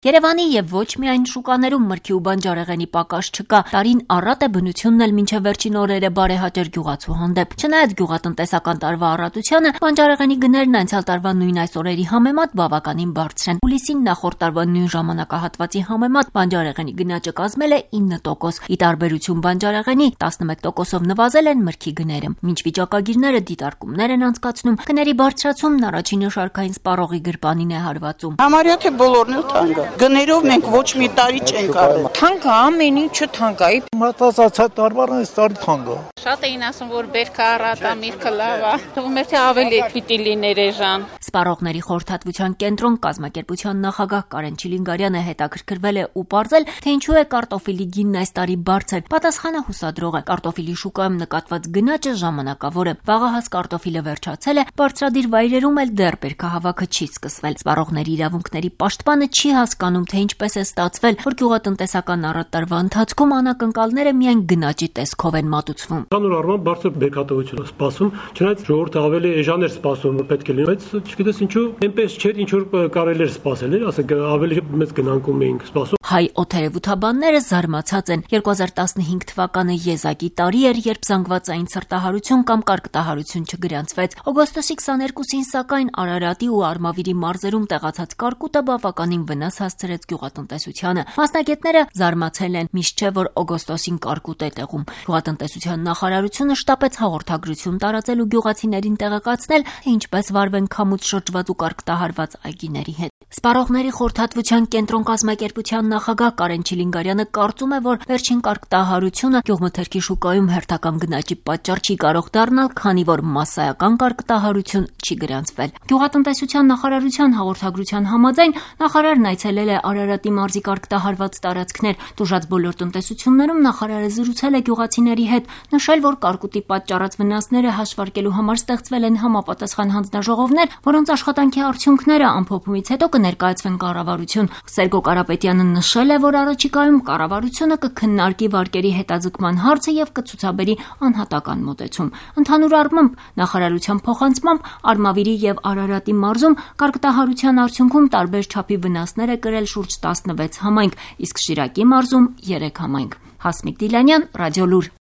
Երևանի եւ ոչ միայն շուկաներում մրգի ու բանջարեղենի պակաս չկա, տարին առատ է բնությունն էլ մինչեւ վերջին օրերը բարեհաճեր գյուղացու հանդեպ։ Չնայած գյուղատնտեսական տարվա առատությանը, բանջարեղենի գներն անցյալ տարվա նույն այս օրերի համեմատ բավականին բարձր են։ Հուլիսին նախորդ տարվա նույն ժամանակահատվածի համեմատ բանջարեղենի գնաճը կազմել է 9%, ի տարբերություն բանջարեղենի 11%-ով նվազել են մրգի գները։ Մինչ վիճակագիրները դիտարկումներ են անցկացնում, գների բարձրացումն առաջինը շարքային սպառողի գրպանին է հարվածում։ Համարյա թե բոլորն էլ թանկ է։ Գներով մենք ոչ մի տարի չենք արել։ Թանկ է, ամեն ինչը թանկ է։ Մտածած տարվան այս տարի թանկ է։ Շատ էին ասում, որ բերքը առատ է, միրգը լավ է։ Թվում էր թե ավելի պիտի լիներ էժան։ Սպառողների խորհրդատվության կենտրոն կազմակերպության նախագահ Կարեն Չիլինգարյանը հետաքրքրվել է ու պարզել, թե ինչու է կարտոֆիլի գինն այս տարի բարձր։ Պատասխանը հուսադրող է։ Կարտոֆիլի շուկայում նկատված գնաճը ժամանակավոր է։ Վաղահաս կարտոֆիլը վերջացել է, բարձրադիր վայրերում էլ դեռ բերքահավաքը չի սկսվել։ Սպառողների իրավունքների պաշտպանը չի հասկանում, թե ինչպես է ստացվել, որ գյուղատնտեսական առատ տարվա ընթացքում անակնկալները միայն գնաճի տեսքով են մատուցվում։ Կանոն առման բարձր բերքատվություն է սպասում, չնայած ժողովուրդը ավելի էժան էր սպասում, որ պետք է լինի, բայց չգիտես ինչու, այնպես չէր, ինչ որ կարելի էր սպասել, ասենք ավելի մեծ գնանկում էինք սպասում։ Հայ օդերևութաբանները զարմացած են։ 2015 թվականը եզակի տարի էր, երբ զանգվածային սրտահարություն կամ կարկտահարություն չգրանցվեց։ Օգոստոսի 22-ին սակայն Արարատի ու Արմավիրի մարզերում տեղացած կարկուտը բավականին վնաս հասցրեց գյուղատնտեսությանը։ Մասնագետները զարմացել են, միշտ չէ, որ օգոստոսին կարկուտ է տեղում։ Գյուղատնտեսության նախարարությունը շտապեց հաղորդագրություն տարածել ու գյուղացիներին տեղեկացնել, թե ինչպես վարվեն քամուց շրջված ու կարկտահարված այգիների հետ։ Սպառողների խորհրդատվության կենտրոն կազմակերպության նախագահ Կարեն Չիլինգարյանը կարծում է, որ վերջին կարկտահարությունը գյուղմթերքի շուկայում հերթական գնաճի պատճառ չի կարող դառնալ, քանի որ մասսայական կարկտահարություն չի գրանցվել։ Գյուղատնտեսության նախարարության հաղորդագրության համաձայն նախարարն այցելել է Արարատի մարզի կարկտահարված տարածքներ։ Տուժած բոլոր տնտեսություններում նախարարը զրուցել է գյուղացիների հետ, նշել, որ կարկուտի պատճառած վնասները հաշվարկելու համար ստեղծվել են համապատասխան հանձնաժողովներ, որոնց աշխատանքի արդյունքները ամփոփումից հետո կներկայացվեն կառավարություն։ Սերգո Կարապետյանը նշել է, որ առաջիկայում կառավարությունը կքննարկի վարկերի հետաձգման հարցը եւ կցուցաբերի անհատական մոտեցում։ Ընդհանուր առմամբ նախարարության փոխանցմամբ Արմավիրի եւ Արարատի մարզում կարկտահարության արդյունքում տարբեր չափի վնասներ է կրել շուրջ 16 համայնք, իսկ Շիրակի մարզում 3 համայնք։ Հասմիկ Դիլանյան, Ռադիոլուր։